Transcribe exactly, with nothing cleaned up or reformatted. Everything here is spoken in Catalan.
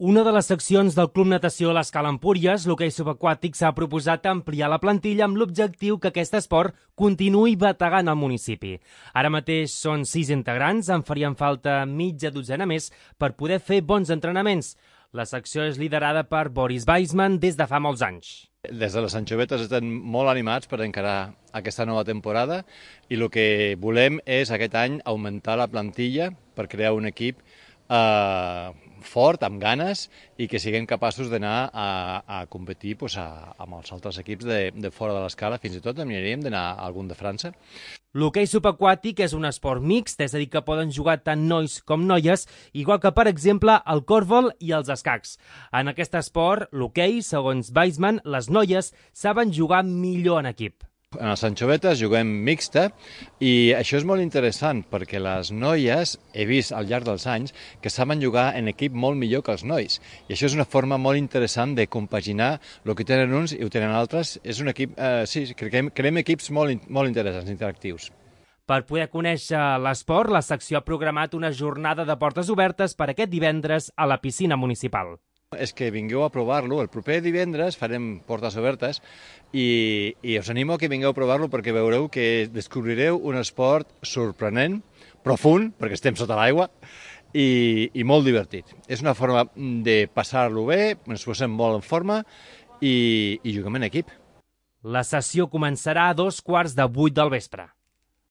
Una de les seccions del Club Natació a l'Escala Empúries, l'hoquei subaquàtic, s'ha proposat ampliar la plantilla amb l'objectiu que aquest esport continuï bategant al municipi. Ara mateix són sis integrants, en farien falta mitja dotzena més per poder fer bons entrenaments. La secció és liderada per Boris Weisman des de fa molts anys. Des de les Anxovetes estem molt animats per encarar aquesta nova temporada i el que volem és aquest any augmentar la plantilla per crear un equip eh, fort, amb ganes, i que siguem capaços d'anar a, a competir pues, a, amb els altres equips de, de fora de l'escala, fins i tot aniríem d'anar a algun de França. L'hoquei subaquàtic és un esport mixt, és a dir, que poden jugar tant nois com noies, igual que, per exemple, el còrbol i els escacs. En aquest esport, l'hoquei, segons Weisman, les noies saben jugar millor en equip. En els Anxovetes juguem mixta i això és molt interessant perquè les noies, he vist al llarg dels anys, que saben jugar en equip molt millor que els nois. I això és una forma molt interessant de compaginar el que tenen uns i ho tenen altres. És un equip, eh, sí, creem, creem equips molt, molt interessants, interactius. Per poder conèixer l'esport, la secció ha programat una jornada de portes obertes per aquest divendres a la piscina municipal. És que vingueu a provar-lo. El proper divendres farem portes obertes i, i us animo a que vingueu a provar-lo perquè veureu que descobrireu un esport sorprenent, profund, perquè estem sota l'aigua, i, i molt divertit. És una forma de passar-lo bé, ens posem molt en forma i, i juguem en equip. La sessió començarà a dos quarts de vuit del vespre.